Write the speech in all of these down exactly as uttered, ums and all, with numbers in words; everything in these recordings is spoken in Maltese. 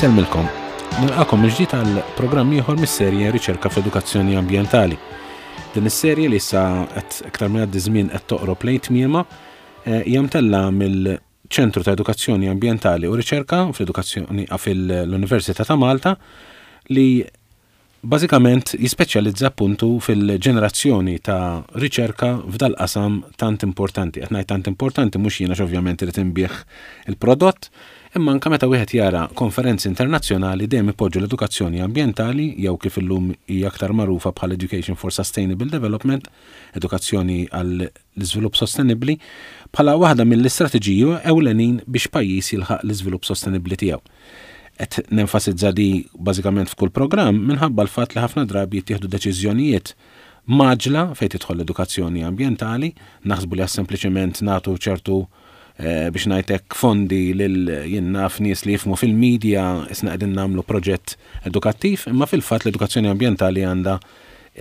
Insellmilkom. Nilqagħkom mill-ġdid għal programm ieħor mis-serje Riċerka fl-Edukazzjoni Ambjentali. Din is-serje li issa qed iktar minn għaddi żmien qed toqrob lejn tmiema eh, hija mtella mill-Ċentru ta' Edukazzjoni Ambjentali u Riċerka fl-Edukazzjoni fil-Università ta' Malta li bażikament jispeċjalizza appuntu fil-ġenerazzjoni ta' riċerka f'dal qasam tant importanti. Qed ngħid tant importanti mhux jiena ovvjament irid inbigħ il-prodott, imma anke meta wieħed jara konferenzi internazzjonali dejjem ipoġġu l-edukazzjoni ambjentali jew kif illum hija aktar magħrufa bħal Education for Sustainable Development, edukazzjoni għall iżvilupp sostenibbli, bħala waħda mill-istrateġiji ewlenin biex pajjiż jilħaq l-iżvilupp sostenibbli tiegħu. Qed nenfasizza di bażikament f'kull programm minħabba l-fatt li ħafna drabi jittieħdu deċiżjonijiet mgħaġġla fejn tidħol l-edukazzjoni ambjentali, naħsbu li sempliċement nagħtu ċertu eh, biex ngħidlek fondi lil jien naf nies li jifhmu fil-medja isna qegħdin nagħmlu proġett edukattiv, imma fil-fatt l-edukazzjoni ambjentali għandha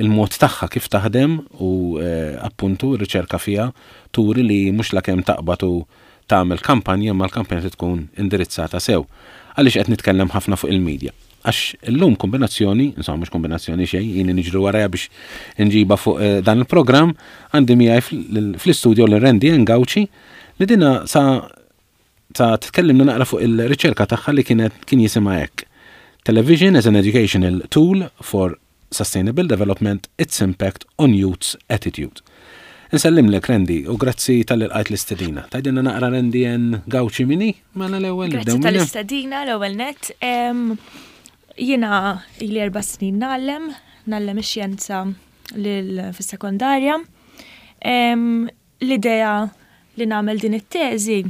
il-mod tagħha kif taħdem u eh, appuntu r-riċerka fiha turi li mhux la kemm taqbad u tagħmel kampanja ma l-kampanja tkun indirizzata sew. Għaliex qed nitkellem ħafna fuq il-medja? Għax illum kombinazzjoni, insomma mhux kombinazzjoni xejn, jien niġru warajha biex nġiba fuq eh, dan il-programm, għandi miegħi fl-istudio lil Randy Gauci li dina sa ta' tkellimna naqra fuq il-riċerka tagħha li kienet kien jisimha hekk. Television as an educational tool for sustainable development, its impact on youth's attitude. Nsellimlek Randy u grazzi talli lqajt l-istedina. Tgħidilna naqra Randy N. Gauci min hi? Mela l-ewwel. Grazzi tal-istedina l-ewwel net. Jiena ili erba' snin ngħallem, ngħallem ix-xjenza fis-sekondarja. L-idea li nagħmel din it-teżi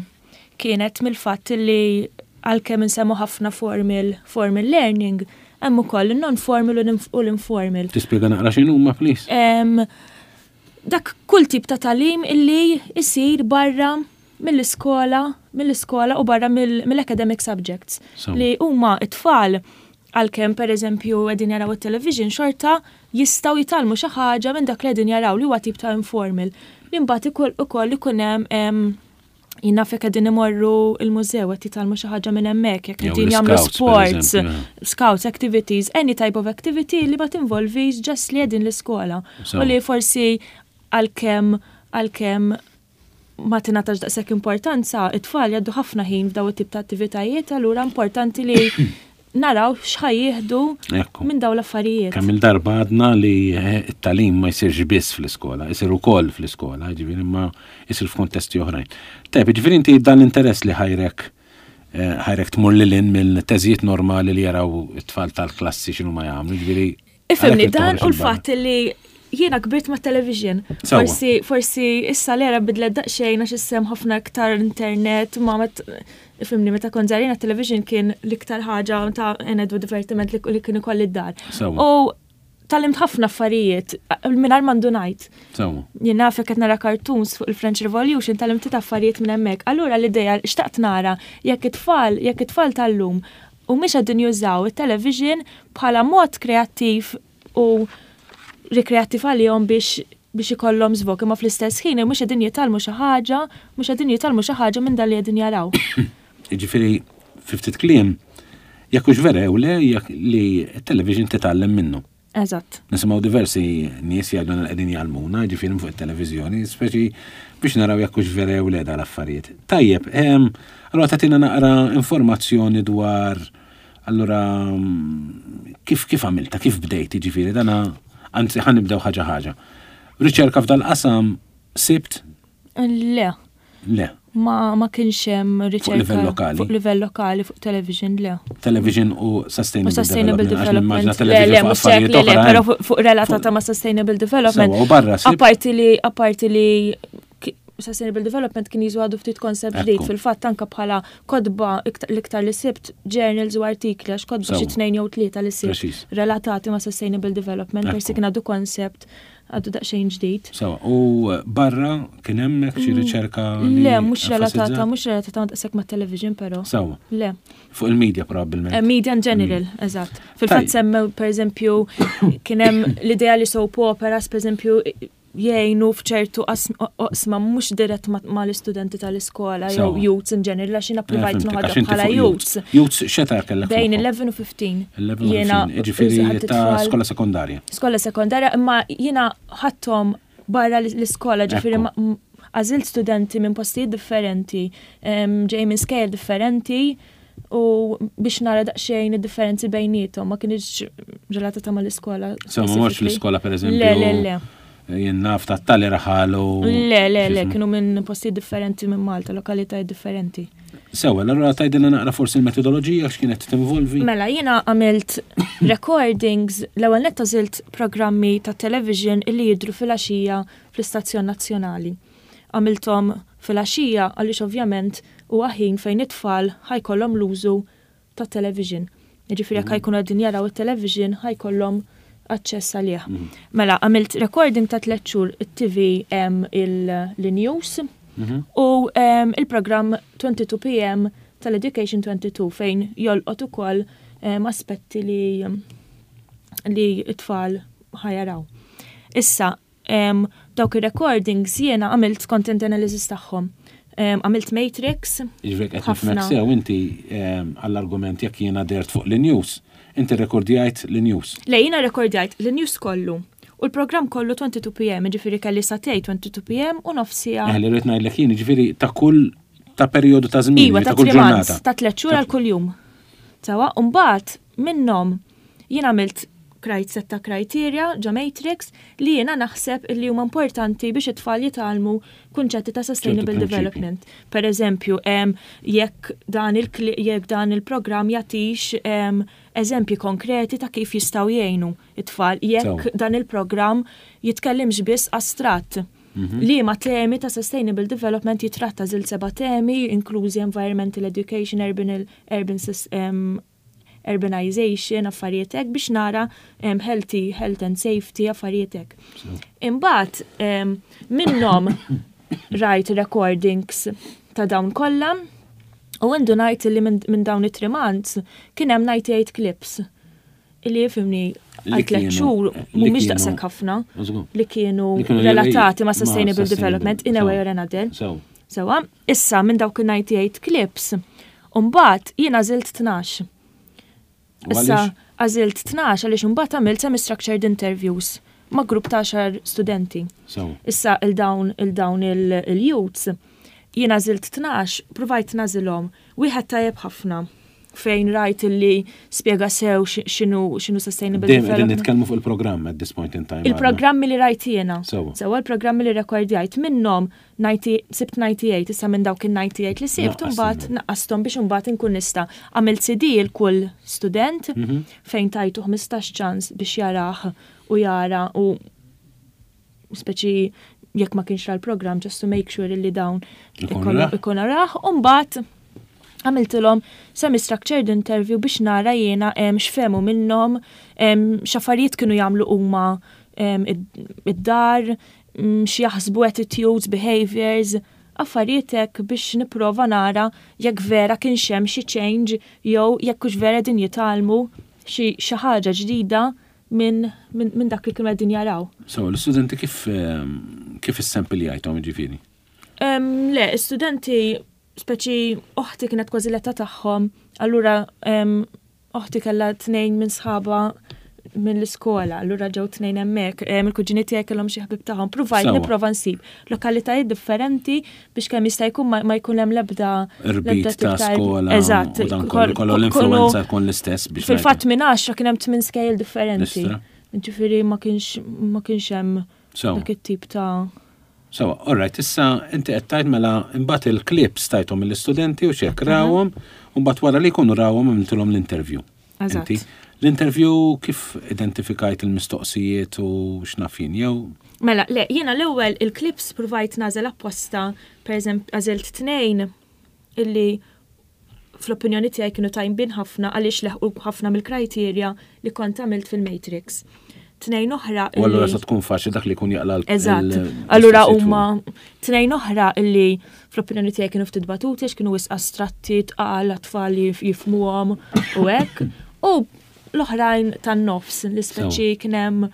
kienet mill-fatt li għalkemm insemmu ħafna formal, formal learning, hemm ukoll il-non-formal u l-informal. Tispjega naqra x'inhuma, please? Dak kull tip ta' tagħlim illi isir barra mill-iskola, mill-iskola u barra mill-academic subjects. Li huma it-tfal għalkemm per eżempju qegħdin jaraw it-television xorta jistgħu jitgħallmu xi ħaġa minn dak li qegħdin jaraw li huwa tip ta' informal. Li mbagħad ukoll ikun hemm jien naf jekk qegħdin imorru il-mużew qed jitgħallmu xi ħaġa minn hemmhekk, jekk qegħdin jagħmlu sports, scouts activities, any type of activity li ma tinvolvix just li qegħdin l-iskola. U li forsi għalkemm għalkemm ma tingħatax daqshekk importanza, it-tfal jgħaddu ħafna ħin f'daw it-tip ta' attivitajiet, allura importanti li naraw x'ħa jieħdu minn daw l-affarijiet. Kemm il-darba għadna li eh, it-tagħlim ma jsirx biss fl-iskola, jsir ukoll fl-iskola, ġifieri ma jsir f'kontesti oħrajn. Tajb, ġifieri inti dan l-interess li ħajrek eh, ħajrek tmur lil hinn mill-teżijiet normali li jaraw it-tfal tal-klassi x'inhu ma jagħmlu, ġifieri. Ifhimni dan u l-fatt li jiena kbirt ma' television. Forsi, forsi issa l-era bidlet daqsxejn għax issa hemm ħafna iktar internet, ma met ifhimni meta kont żgħira television kien l-iktar ħaġa ta' enedu divertiment li kien ikolli d-dar. U tgħallimt ħafna affarijiet mingħajr ma ndunajt. Jien naf qed nara cartoons fuq il-French Revolution tgħallimt affarijiet minn hemmhekk. Allura l-idea xtaqt nara jekk it-tfal, jekk it-tfal tal-lum u mhux qegħdin jużaw it-television bħala mod kreattiv u rikreattiv għalihom biex biex ikollhom żvog, imma fl-istess ħin mhux qegħdin jitgħallmu xi ħaġa, mhux qegħdin jitgħallmu xi ħaġa minn dan li qegħdin jaraw. Jiġifieri fi ftit kliem, jekk hux vera jew le jekk li t-television titgħallem minnu. Eżatt. Nisimgħu diversi nies jgħidu li qegħdin jgħallmuna, ġifieri fuq it-televiżjoni, speċi biex naraw jekk hux vera jew le dal-affarijiet. Tajjeb, ehm, allura tagħtina naqra informazzjoni dwar allura kif kif għamilta, kif bdejt, ġifieri dana anzi ħa nibdew ħaġa ħaġa. Riċerka f'dal-qasam sibt? Le. Le. Ma, ma kienx hemm riċerka fuq livell lokali. Fuq livell lokali, fuq television, le. Television u sustainable, U sustainable development. development. Le, le, mhux hekk, le, le, però fuq fuq relatata ma' sustainable development. Sewwa, u barra sibt? Apparti li, apparti li ki- sustainable development kien jiżu għadu ftit concept ġdid Ekku. fil-fatt anka bħala kotba l-iktar li sibt journals u artikli għax kotba xi Sewwa. tnejn jew tlieta li sibt Preċiż. relatati ma' sustainable development, Ekku. persi kien għadu concept għadu daqsxejn ġdid. Sewwa, u barra kien hemmhekk xi riċerka li Le, mhux relatata, enfasizzat? mhux relatata ma' daqshekk ma' television però. Sewwa. Le. Fuq il-media probabbilment. Eh, Media in general, eżatt. Fil-fatt Tajjeb. semmew, per eżempju, kien hemm l-idea li soap operas, per eżempju, Jgħinu f'ċertu oqsma mhux dirett ma l-istudenti tal-iskola jew youths in general, għax jiena provajt noħodha bħala youths. Youths x'età kellek? Bejn eleven u fifteen. Jiena ġifieri ta' skola sekondarja. Skola sekondarja, imma jiena ħadthom barra l-iskola, ġifieri għażilt studenti minn postijiet differenti, ġej minn skejjel differenti, u biex nara daqsxejn id-differenzi bejniethom, ma kienx relatata mal-iskola. So, ma morx l-iskola, per eżempju? Le, le, le. Jien naf ta' tali raħal u Le, le, le, kienu minn postijiet differenti minn Malta, lokalitajiet differenti. Sewa, allura tgħidilna naqra forsi l-metodoloġija x'kienet tinvolvi? Mela, jiena għamilt recordings, l-ewwel nett għażilt programmi ta' television illi jidru filgħaxija fl-istazzjon nazzjonali. Għamilthom filgħaxija għaliex ovvjament huwa ħin fejn it-tfal ħa jkollhom l-użu ta' television. Jiġifieri jekk ħa jkunu qegħdin jaraw it-television, ħa jkollhom aċċess għalih. Mhm. Mela, għamilt recording ta' tliet xhur it-T V il-news mhm. u il-programm twenty-two P M tal-Education twenty-two fejn jolqot ukoll aspetti li li it-tfal ħa jaraw. Issa, dawk ir-recordings jiena għamilt content analysis tagħhom. Għamilt matrix. Ġifieri qed nifhmek sew, inti għall-argument jekk jiena dert fuq l-news, inti rekordjajt l-news. Le, jiena rekordjajt l-news kollu. U l-programm kollu twenty-two P M, ġifieri kelli sagħtejn twenty-two P M u nofs siegħa. Eh, li rrid ngħidlek jien, ġifieri ta' kull ta' perjodu ta' żmien, Iva, ta' kull ġurnata. Ta' tliet xhur għal kull jum. Sewwa, u mbagħad minnhom jien għamilt krajt setta criteria ġo matrix li jiena naħseb li huma importanti biex it-tfal jitgħallmu kunċetti ta' sustainable development. Per eżempju, jekk dan il jekk dan il-programm jagħtix eżempji konkreti ta' kif jistgħu jgħinu it-tfal, jekk dan il-programm jitkellimx biss astratt. Mhm. Li ma temi ta' sustainable development jitratta, għażilt seba' temi, inklużi environmental education, urban, urban um, urbanization, affarijiet hekk biex nara um, healthy, health and safety, affarijiet hekk. Imbagħad um, minnhom rajt recordings ta' dawn kollha u għandu ngħid li minn min dawn it-three months kien hemm ninety-eight clips illi, ifhimni, għal tliet xhur mhumiex daqshekk ħafna li kienu relatati ma' sustainable development in a way or another. Sewwa, issa minn dawk il-ninety-eight clips, mbagħad jien għażilt tnax. Issa għażilt tnax għaliex imbagħad għamilt semi-structured interviews ma' grupp ta' għaxar studenti. Issa il-dawn il-dawn il-youths jien għażilt tnax, provajt nagħżilhom. Wieħed tajjeb ħafna fejn rajt illi spjega sew x'inhu x'inhu sustainable development. Nitkellmu fuq il-programm at this point in time. Il-programmi li rajt jiena. Sewwa, il-programmi li rekordjajt minnhom sibt ninety-eight, issa minn dawk il-ninety-eight li sibt mbagħad naqqasthom biex imbagħad inkun nista' għamilt C D il kull student mhm. fejn tajtu ħmistax ċans biex jarah u jara u speċi jekk ma kienx l-program, just to make sure li dawn ikun rah, u mbagħad għamiltilhom semi-structured interview biex nara jiena x'fehmu minnhom, x'affarijiet kienu jagħmlu huma id-dar, x'jaħsbu, attitudes, behaviors, affarijiet hekk biex nipprova nara jekk vera kien hemm xi change jew jekk hux vera din jitgħallmu xi ħaġa ġdida minn min, min dak li kienu qegħdin jaraw. So, l-studenti kif kif is-sample ġifieri? Le, studenti speċi oħti kienet kważi l-età tagħhom, allura oħti kellha tnejn minn sħaba mill-iskola, allura ġew tnejn hemmhekk, il-kuġini tiegħi kellhom xi ħbib tagħhom. Provajt nipprova nsib lokalitajiet differenti biex kemm jista' jkun ma jkun hemm l-ebda Irbit ta' skola. Eżatt. Kollu l-influenza tkun l-istess biex. Fil-fatt minn għaxra kien hemm tmien skejjel differenti. Ġifieri ma kienx ma kienx hemm dak it-tip ta' So, all right, issa inti qed tgħid mela imbagħad il-clips tajthom mill-istudenti u xek rawhom, u mbagħad wara li jkunu rawhom għamiltilhom l-interview. Eżatt. L-interview kif identifikajt il-mistoqsijiet u x'naf jien jew? Mela, le, jiena l-ewwel il-clips provajt nagħżel apposta, per eżempju, għażilt tnejn illi fl-opinjoni tiegħi kienu tajbin ħafna għaliex leħqu ħafna mill-kriterja li kont għamilt fil-Matrix. Tnejn oħra. U allura sa tkun faċli dak li jkun jaqla. Eżatt. Allura huma tnejn oħra illi fl-opinjoni tiegħi kienu ftit batuti għax kienu wisq astratti, tqal, tfal jifhmuhom u hekk. U l-oħrajn tan-nofs, li speċi kien hemm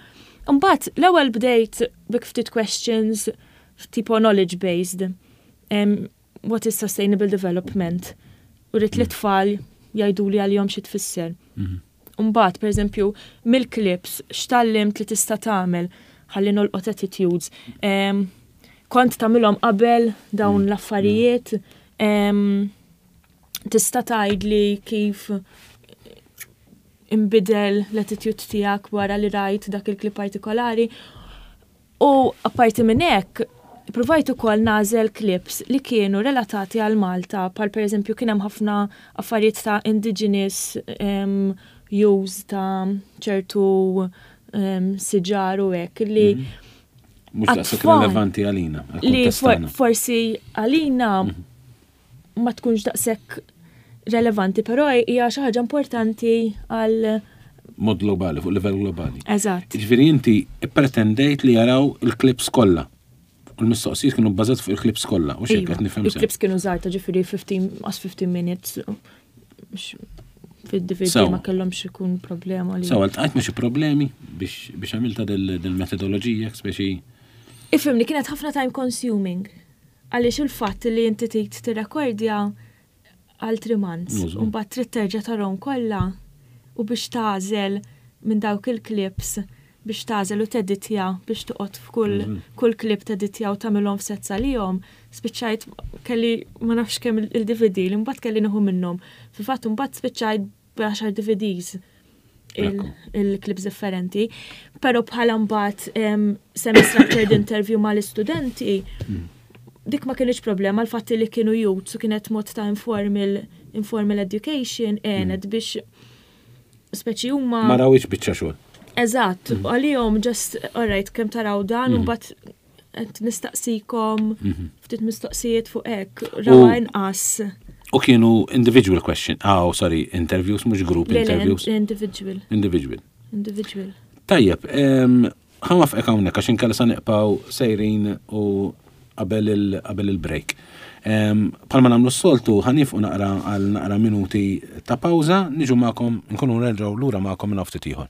Mbagħad l-ewwel bdejt bi ftit questions tipo knowledge based. Um, what is sustainable development? U ridt li tfal jgħidu li għalihom xi tfisser. Mhm. Mbagħad, per eżempju, mill-clips, x'tgħallimt li tista' tagħmel ħalli nolqot attitudes. Um, kont tagħmilhom qabel dawn Mm. l-affarijiet. Um, tista' tgħidli kif imbidel l-attitude tiegħek wara li rajt dak il-klip partikolari. U apparti minn hekk, provajt ukoll nagħżel clips li kienu relatati għal Malta, bħal per eżempju kien hemm ħafna affarijiet ta' indigenous um, use ta' ċertu um, siġar u hekk li Mhux daqshekk Għat-tfal relevanti għalina, li għal-kuntest for, tagħna. forsi għalina ma tkunx daqshekk relevanti, però hija xi ħaġa importanti għal Mod globali, fuq livell globali. Eżatt. Ġifieri inti pretendejt li jaraw il-clips kollha. U l-mistoqsijiet kienu bbażat fuq il-clips kollha, u xejn Iva, qed nifhem sew. Il-clips kienu żgħar ta' ġifieri fifteen as fifteen minutes. Mhux fid-D V D Sew. ma kellhomx ikun problema li. Sew, iltqajt ma' xi problemi biex biex għamilta dil-metodoloġija, speċi. Ifhimni, kienet ħafna time consuming. Għaliex il-fatt li inti trid tirrekordja għal three months, Użu. u mbagħad trid terġa' tarahom kollha u biex tagħżel minn dawk il-clips, biex tagħżel u teditja, biex toqgħod f'kull Mhm. kull clip teditja u tagħmilhom f'sets għalihom, spiċċajt kelli ma nafx kemm il-D V D li mbagħad kelli nieħu minnhom. Fil-fatt mbagħad spiċċajt b'għaxar D V Ds Ekku. il-clips differenti, pero bħala mbagħad em, semi-structured interview mal-istudenti, dik ma kienx problema, l-fatt li kienu youths u kienet mod ta' informal, informal education għenet biex speċi huma. Ma rawix biċċa xogħol. Eżatt, għalihom just, alright, kemm taraw dan, u mbagħad qed nistaqsikom ftit mistoqsijiet fuq hekk, rawa inqas. U kienu individual question, ah, oh, sorry, interviews, mhux group Le, le, interviews. Individual, Individual. individual. Tajjeb, em, ħa nwaqfek hawnhekk għax inkella sa nibqgħu sejrin u qabel il- qabel il-break. Em, Bħalma nagħmlu s-soltu, ħa nieqfu naqra għal naqra minuti ta' pawża, niġu magħkom, nkunu nerġgħu lura magħkom minn ftit ieħor.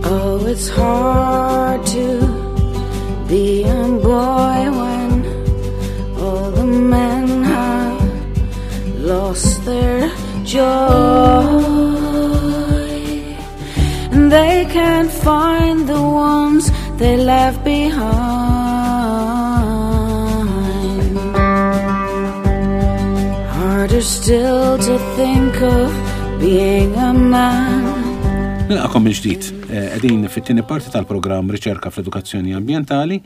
Oh, it's hard to be a boy when all the men have lost their joy and they can't find the ones they left behind. Harder still to think of being a man. Nilqagħkom mill-ġdid. Eh, Qegħdin fit-tieni parti tal-programm Riċerka fl-Edukazzjoni Ambjentali.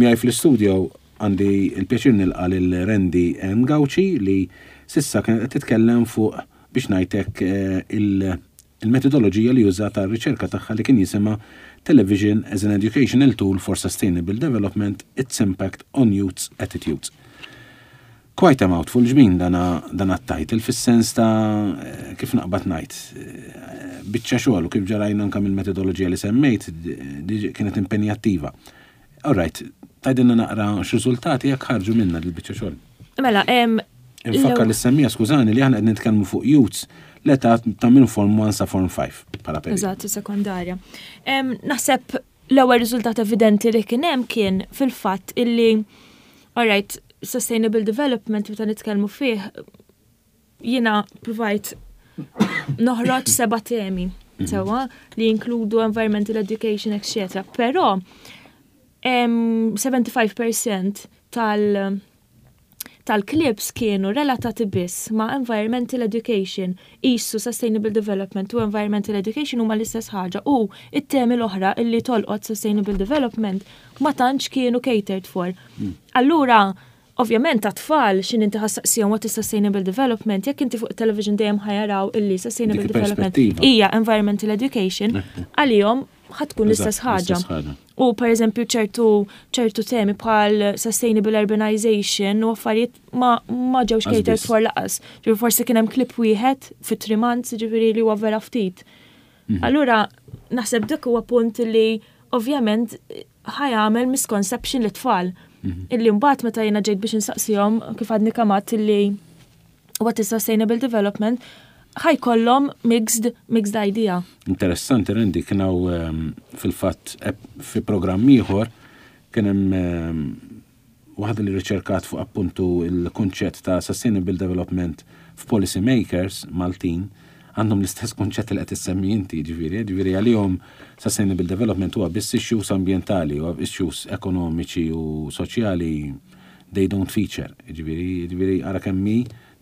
Miegħi fl-istudio għandi il-pjaċir nilqa' lil Randy M. Gauci li s'issa kienet qed titkellem fuq, biex ngħidlek, eh, il- il-metodoloġija li użata r-riċerka tagħha li kien jisimha Television as an Educational Tool for Sustainable Development, Its Impact on Youth's Attitudes. Quite a mouthful ġmin dana dana t-title fis-sens ta' eh, kif naqbad ngħid. eh, Biċċa xogħol u kif ġarajna anke mill-metodoloġija li semmejt di kienet impenjattiva. All right, tgħidilna naqra x'riżultati jekk ħarġu minna dil-biċċa xogħol. Mela, em, Infakkar l- li semmija, skużani, li aħna qed nitkellmu fuq youths l-età ta' minn form one sa form five bħala periodu. Eżatt, sekondarja. Em, Naħseb l-ewwel riżultat evidenti li kien hemm kien fil-fatt illi, alright, sustainable development meta nitkellmu fih, jiena provajt noħroġ seba' temi sewwa li jinkludu environmental education, et cetera. Però em, sebgħa u sebgħin fil-mija tal- tal-clips kienu relatati biss ma' environmental education, isu sustainable development u environmental education huma l-istess ħaġa u it-temi l-oħra illi tolqot sustainable development ma tantx kienu catered for. Allura, ovvjament ta' tfal xin inti ħa ssaqsihom what is sustainable development, jekk inti fuq television dejjem ħa jaraw illi sustainable Dik development il-perspettiva. hija environmental education, għalihom ħa tkun l-istess ħaġa. U per eżempju ċertu ċertu temi bħal sustainable urbanization u affarijiet ma, ma ġewx catered for lanqas. Ġifieri forsi kien hemm clip wieħed fi three months, ġifieri li huwa vera ftit. Mhm. Allura naħseb dak huwa punt li ovvjament ħa jagħmel misconception lit-tfal. Mhm. Illi mbagħad meta jiena ġejt biex insaqsihom kif għadni kemm għedt illi what is sustainable development, ħa jkollhom mixed, mixed idea. Interessanti, Randy, kien hawn ehm, fil-fatt fi programm ieħor kien hemm ehm, waħda li riċerkat fuq appuntu il-kunċett ta' sustainable development f'policy makers Maltin. Għandhom l-istess kunċett li qed issemmi inti, ġifieri, ġifieri għalihom sustainable development huwa biss issues ambjentali u issues ekonomiċi u soċjali they don't feature. Ġifieri, ġifieri ara kemm hi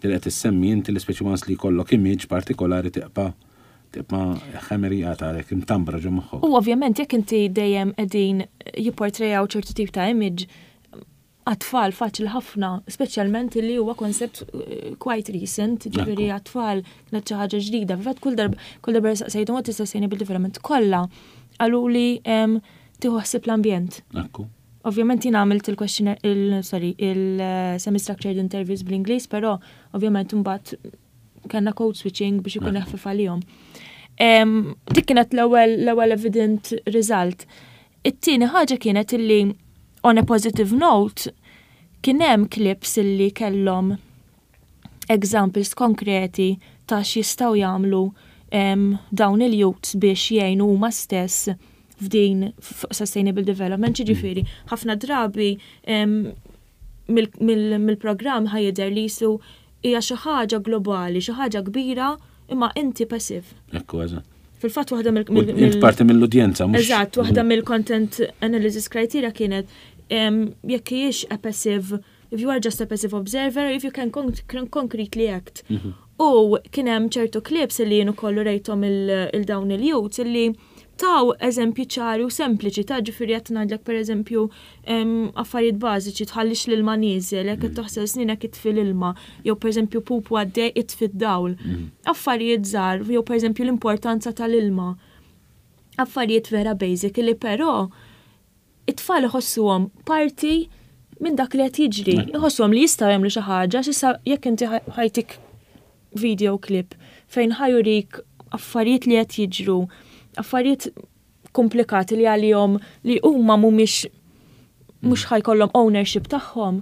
li qed issemmi inti li speċi once li jkollok image partikolari tibqa' tibqa' ħemerijata għalek imtambra ġo moħħok. U ovvjament jekk inti dejjem qegħdin jipportrejaw ċertu tip ta' image għat-tfal faċli ħafna, speċjalment li huwa koncept eh, quite recent, ġifieri għat-tfal kienet xi ħaġa ġdida. Fil-fatt kull darba kull darba saqsejthom what is sustainable development, kollha qalu li tieħu ħsieb l-ambjent. Ekku. Ovvjament jien għamilt il-questionnaire, il, sorry, il-semi-structured interviews bl-Ingliż, però ovvjament mbagħad kellna code switching biex ikun eħfef għalihom. Dik kienet l-ewwel l-ewwel evident result. It-tieni ħaġa kienet illi on a positive note kien hemm clips illi kellhom examples konkreti ta' x'jistgħu jagħmlu dawn il-youths biex jgħinu huma stess f'din sustainable development, ġifieri, ħafna drabi mill-programm ħa jidher li qisu hija xi ħaġa globali, xi ħaġa kbira, imma inti passive. Ekku, eżatt. Fil-fatt waħda mill- Int parti mill-udjenza, mhux. Eżatt, waħda mill-content analysis criteria kienet jekk hijiex a passive, if you are just a passive observer, if you can concretely act. Mhm. U kien hemm ċertu clips li jien ukoll rejthom il-dawn il-youths illi taw eżempji ċari u sempliċi ta' ġifieri qed ngħidlek, pereżempju, affarijiet bażiċi, tħallix l-ilma nieżel, jekk qed mm. taħsel sninek itfi l-ilma, jew pereżempju pupu għaddej itfi d-dawl. Mm. Affarijiet żgħar, jew pereżempju l-importanza tal-ilma. Affarijiet vera basic li però it-tfal iħossuhom parti minn dak li qed jiġri. Iħossuhom li jistgħu jagħmlu xi ħaġa, s'issa jekk inti ħa jtik video clip fejn ħa jurik affarijiet li qed jiġru, affarijiet komplikati li għalihom li huma mhumiex mhux ħa jkollhom ownership tagħhom,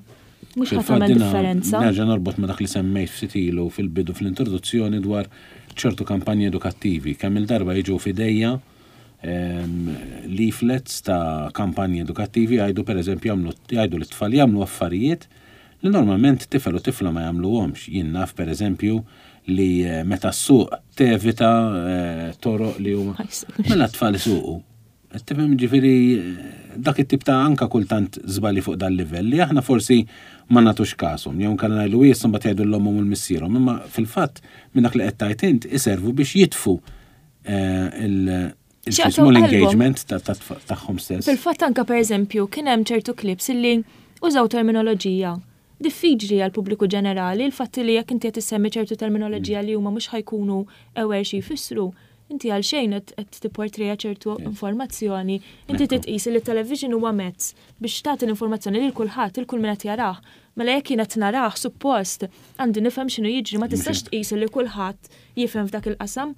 mhux ħa tagħmel differenza. Nerġa' norbot ma' dak li semmejt ftit ilu fil-bidu fl-introduzzjoni dwar ċertu kampanji edukattivi. Kemm il-darba jiġu f'idejja leaflets ta' kampanji edukattivi jgħidu, per eżempju, jgħidu l-tfal jagħmlu affarijiet li normalment tifel u tifla ma jagħmluhomx. Jien naf, per eżempju, li eh, meta ssuq tevita eh, toroq li huma. Mela t-tfal isuqu. Tifhem, ġifieri eh, dak it-tip ta' anka kultant żbali fuq dal-livell li aħna forsi ma nagħtux kashom, jew kellna ngħidu issa mbagħad jgħidu l-ommhom u l-missierhom, imma fil-fatt minn dak li qed tgħid int iservu biex jitfu il- small engagement tagħhom stess. Fil-fatt anka, per eżempju, kien hemm ċertu clips illi użaw terminoloġija diffiċli għal pubbliku ġenerali. Il-fatt li jekk inti qed issemmi ċertu terminoloġija li huma mhux ħa jkunu aware xi jfissru, inti għal xejn qed tipportreja ċertu informazzjoni. Inti titqis li television huwa mezz biex tagħti l-informazzjoni lil kulħadd, il kull min qed jarah. Mela jekk jien qed narah, suppost għandi nifhem x'inhu jiġri, ma tistax tqis li kulħadd jifhem f'dak il-qasam.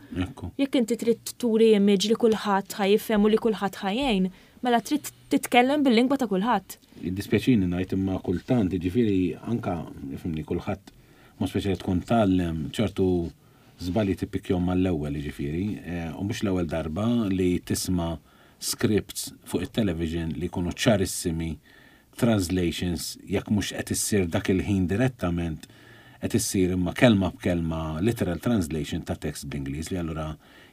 Jekk inti trid turi image li kulħadd ħa jifhem u li kulħadd ħa jgħin, mela trid titkellem bil-lingwa ta' kulħadd. Dispjaċini ngħid imma kultant, ġifieri anka ifhimni kulħadd, ma speċjali tkun tgħallem ċertu żbalji tippikjahom mal-ewwel ġifieri, eh, u mhux l-ewwel darba li tisma' scripts fuq it-television li jkunu ċarissimi translations, jekk mhux qed issir dak il-ħin direttament, qed issir imma kelma b'kelma literal translation ta' text bl-Ingliż li allura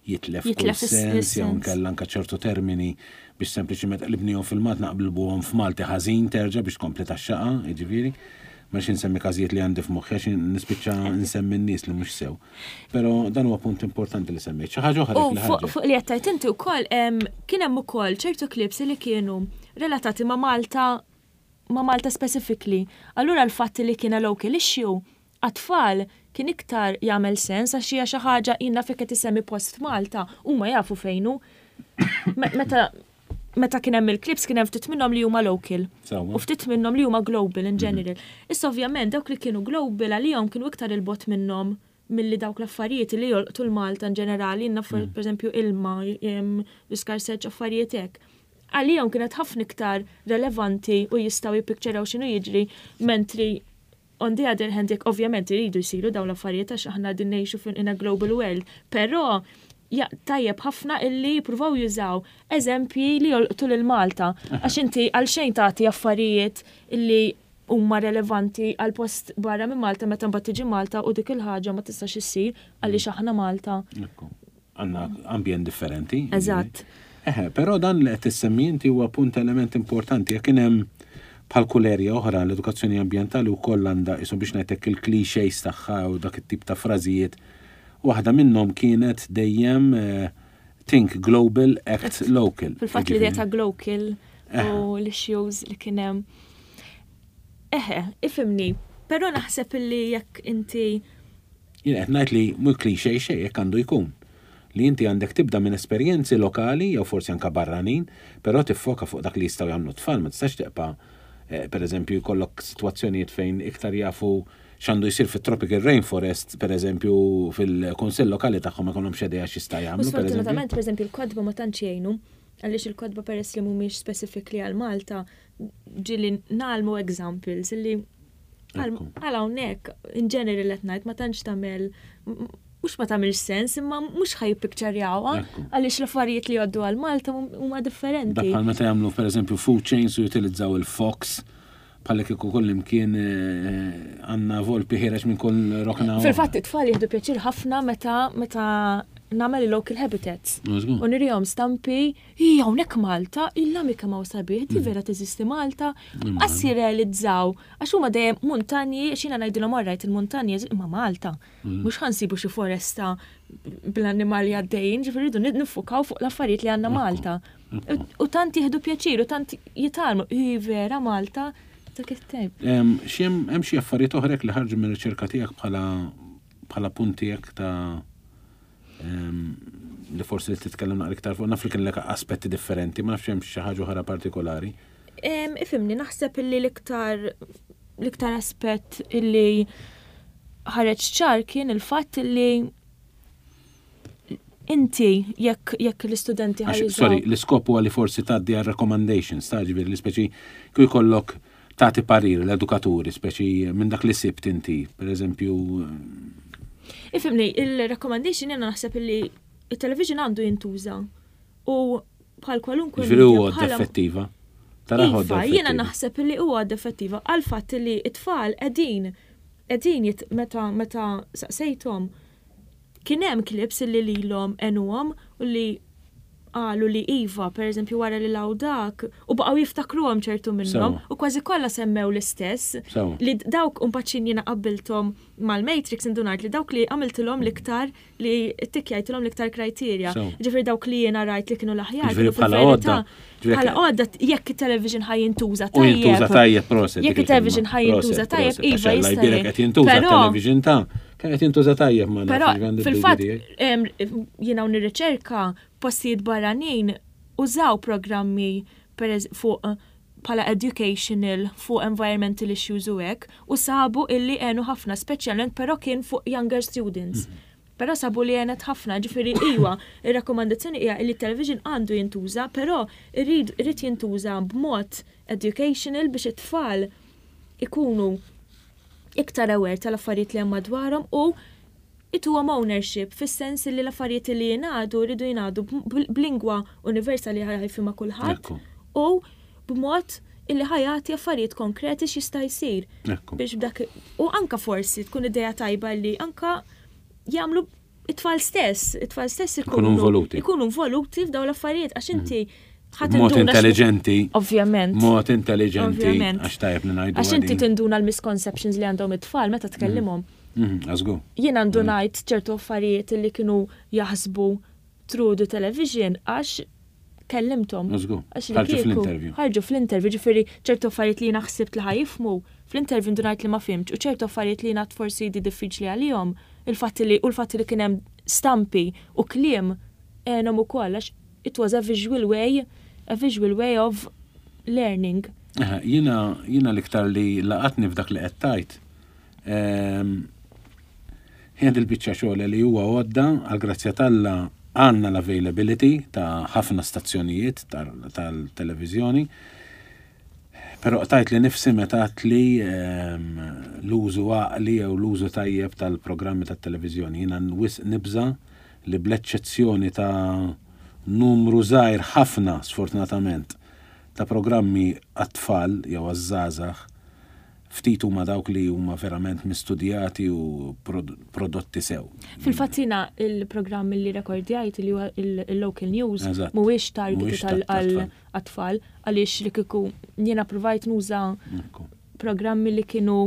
jitlef kull sens, jew nkella anka ċertu termini biex sempliċiment qlibnihom fil-Malti, naqilbuhom f'Malti ħażin terġa' biex tkompli tax-xaqa, jiġifieri. Ma xi nsemmi każijiet li għandi f'moħħi għax nispiċċa nsemmi n-nies li mhux sew. Però dan huwa punt importanti li semmejt. Xi ħaġa oħra li fuq li qed inti wkoll, kien hemm ukoll ċertu clips li kienu relatati ma' Malta ma' Malta specifically. Allura l-fatt li kien local issue għat-tfal kien iktar jagħmel sens għax hija xi ħaġa inna fejn qed isemmi post Malta huma jafu fejnu. Meta meta kien hemm il-clips, kien hemm ftit minnhom li huma local Sewwa. u ftit minnhom li huma global in general. Issa ovvjament dawk li kienu global għalihom kienu iktar il-bogħod minnhom milli dawk l-affarijiet li jolqtu l-Malta in ġenerali, jiena per eżempju ilma, l-iskarsezz, affarijiet hekk. Għalihom kienet ħafna iktar relevanti u jistgħu jippikċeraw x'inhu jiġri, mentri on the other hand, jekk ovvjament iridu jsiru dawn l-affarijiet għax aħna din ngħixu fin in a global world, però ja, tajjeb ħafna illi jippruvaw jużaw eżempji li jolqtu lil Malta. Għax inti għalxejn tagħti affarijiet illi huma relevanti għal post barra minn Malta meta mbagħad tiġi Malta u dik il-ħaġa ma tistax issir għaliex aħna Malta. Ekku. Għandna ambjent differenti. Eżatt. Eħe, però dan li qed tissemmi inti huwa punt, element importanti. Jekk kien hemm bħal kull erja oħra, l-edukazzjoni ambjentali wkoll għandha isu biex ngħidlek il-clichés tagħha u dak it-tip ta' frażijiet. Waħda minnhom kienet dejjem eh, "think global, act local". Fil-fatt l-idea ta' global Eħe. u l-issues li kien hemm. Eħe, ifhimni, però naħseb illi jekk inti Jien qed ngħid li mhu cliché xejn, jekk għandu jkun. Li inti għandek tibda minn esperjenzi lokali jew forsi anka barranin, però tiffoka fuq dak li jistgħu jagħmlu tfal, ma tistax tibqa' eh, per eżempju jkollok sitwazzjonijiet fejn iktar jafu x'għandu jsir fit-tropical rainforest, per eżempju fil-kunsill lokali tagħhom ma jkollhomx idea x'jista' U jagħmlu, per eżempju. sfortunatament, per eżempju, il-kotba ma tantx jgħinu, għaliex il-kotba, peress li mhumiex specifically għal Malta, ġieli ngħallmu examples illi għal Ekku. għal hawnhekk in general qed ngħid ma tantx tagħmel, mhux ma tagħmilx sens, imma mhux ħa jippikċarjawha Ekku. għaliex l-affarijiet li jgħoddu għal Malta huma differenti. Dak bħal meta jagħmlu, per eżempju, food chains u jutilizzaw il-fox bħal kieku kull imkien eh, għandna volpi ħiereġ minn kull rokna. Fil-fatt it-tfal jieħdu pjaċir ħafna meta meta nagħmel il-local habitats. Żgur. U nurihom stampi, hija hawnhekk Malta, illa mi kemm hawn sabiħ, di vera teżisti Malta. Qas jirrealizzaw, għax huma dejjem muntanji, xina ngħidilhom, "Alright, il-muntanji, imma Malta. Mhux ħa nsibu xi foresta bl-annimali għaddejjin, ġifieri rridu niffukaw fuq l-affarijiet li għandna Malta." U tant jieħdu pjaċir u tant jitgħallmu, hi vera Malta, dak it-tip. Em, xi hemm hemm xi affarijiet oħrek li ħarġu minn riċerka tiegħek bħala bħala punti hekk ta' em, li forsi titkellem naqra iktar fuq? Naf li kien lek aspetti differenti, ma nafx hemm xi ħaġa oħra partikolari. Em, Ifhimni, naħseb illi l-iktar l-iktar aspett illi ħareġ ċar kien il-fatt illi inti jekk jekk l-istudenti Għax, ħa jużaw. Sorry, l-iskop huwa li forsi tgħaddi għal recommendations, ta' ġifieri li speċi kif jkollok tagħti parir l-edukaturi, speċi minn dak li sibt inti, per eżempju, Ifhimni, il-recommendation jena naħseb illi il-television għandu jintuża u bħal kwalunkwe ġifieri media huwa bħala- effettiva. Tara Iva, għodda jiena effettiva. naħseb illi huwa effettiva għal fatt li it-tfal qegħdin qegħdin jit meta meta saqsejthom, kien hemm clips illi lilhom għenuhom u li qalu li iva, per eżempju, wara li raw dak, u baqgħu jiftakruhom ċertu minnhom Sewa. u kważi kollha semmew l-istess. Sewa. Li dawk umpaċin jiena qabbilthom mal-Matrix, indunajt li dawk li għamiltilhom l-iktar li ttikjajtilhom l-iktar criteria. Sewa. Ġifieri dawk li jiena rajt li kienu l-aħjar. Ġifieri kienu bħala fil-verità- għodda. Ġifieri Bħala għodda, jekk il-television ħa jintuża U jintuża tajjeb, proset. Jekk dik il-television il-kelma. ħa jintuża Proset, tajjeb, proset, iva għax Alla jista' jbierek jgħin. qed jintuża Però- television ta' kien qed jintuża tajjeb, ma Però nafx għandi fil-fatt d-dubji tiegħi. em, jiena nirriċerka postijiet barranin użaw programmi per eż- fuq bħala educational fuq environmental issues u hekk u sabu illi għenu ħafna, speċjalment però kien fuq younger students. Però sabu li għenet ħafna, ġifieri iwa, ir-rakkomandazzjoni hija li television għandu jintuża, però irrid irrid jintuża b'mod educational biex it-tfal ikunu iktar aware tal-affarijiet li hemm madwarhom u ituhom ownership fis-sens li l-affarijiet li jingħadu rridu jingħadu b- b'lingwa universali ħa jifhimha kulħadd Ekku. u b'mod illi ħa jagħti affarijiet konkreti x'jista' jsir. Ekku. Biex b'dak u anka forsi tkun idea tajba li anka jagħmlu it-tfal stess, it-tfal stess Ikunu involuti. Ikunu involuti f'dawn l-affarijiet għax inti ħa Mod tinduna x- intelligenti. Ovvjament. Mod intelligenti. Ovvjament. Għax tajjeb li ngħidu. Għax inti għadin. tinduna l-misconceptions li għandhom it-tfal meta tkellimhom. Mhm, Għażgur. Jien ndunajt ċertu affarijiet li kienu jaħsbu through the television għax kellimthom. Għażgur. Għax li Ħarġu kieku- fl-interview. Ħarġu fl-interview, ġifieri ċertu affarijiet li jiena ħsibt li ħa jifhmu, fl-interview ndunajt li ma fhimx u ċertu affarijiet li jiena forsi di diffiċli għalihom, il-fatt li u l-fatt li kien hemm stampi u kliem għenhom ukoll għax It was a visual way, a visual way of learning. Jiena jiena l-iktar li laqatni f'dak li qed tgħid. Ehm, hija il-biċċa xogħol li huwa għodda, għal grazzja t'Alla għandna l-availability ta' ħafna stazzjonijiet tal-televiżjoni. Però tajt li nifsi meta li ehm, l-użu għaqli jew l-użu tajjeb tal-programmi tat-televiżjoni. Jiena wisq nibża li bl-eċċezzjoni ta' numru żgħir ħafna, sfortunatament, ta' programmi għat-tfal jew għaż-żgħażagħ, ftit huma dawk li huma verament mistudjati u prodotti sew. Fil-fatt jiena il-programm li rekordjajt, li huwa il-local news, mhuwiex targeted għal tfal, għaliex li kieku jiena provajt nuża programmi li kienu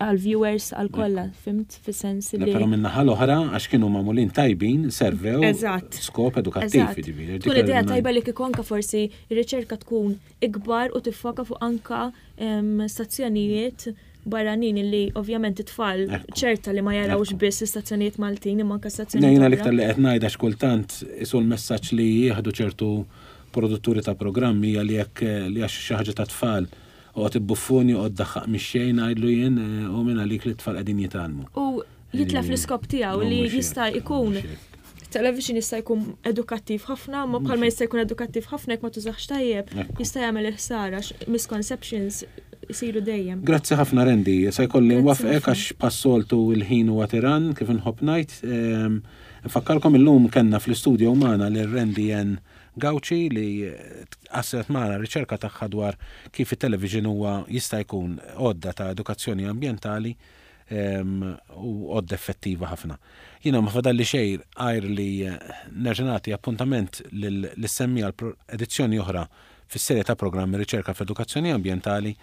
għal viewers għal kollha, fhimt, fis-sens li. Però min-naħa l-oħra, għax kienu magħmulin tajbin, servew skop edukattiv. Tkun idea tajba li kieku anka forsi ir-riċerka tkun ikbar u tiffoka fuq anka stazzjonijiet barranin, li ovvjament it-tfal ċerta li ma jarawx biss istazzjonijiet Maltin imma anka stazzjonijiet. Jiena l-iktar li qed ngħidha, xkultant isu l-messaġġ li jieħdu ċertu produtturi ta' programmi li jekk li għax xi ħaġa ta' tfal u buffoni u daħħaq mix-xejn, għidlu jien, eh, u minn għalik li t-tfal qegħdin jitgħallmu. U jitlef l-iskop tiegħu li jista' jkun television jista' jkun edukattiv ħafna, ma bħalma jista' jkun edukattiv ħafna, jekk ma tużax tajjeb, jista' jagħmel il-ħsara, misconceptions isiru dejjem. Grazzi ħafna, Randy, se jkolli nwafqek għax bħas-soltu il-ħin huwa tiran, kif inħobb ngħid. Ehm, nfakkarkom, illum kellna fl-istudio magħna lil Randy N. Gauci li qasmet magħna riċerka tagħha dwar kif it-television huwa jista' jkun għodda ta' edukazzjoni ambjentali u għodda effettiva ħafna. Jiena ma fadalli xejn għajr li nerġa' nagħti appuntament lis-semmiegħa edizzjoni oħra fis-serje ta' programmi Riċerka f'Edukazzjoni Ambjentali.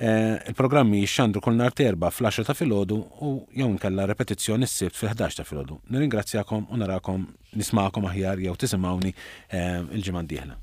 Eh, il-programmi jixxandru kull nhar t'Erbgħa fl-għaxra ta' filgħodu u jew nkella repetizzjoni s-Sibt fil-ħdax ta' filgħodu. Nirringrazzjakom u narakom, nismagħkom aħjar jew tisimgħuni eh, il-ġimgħa d-dieħla.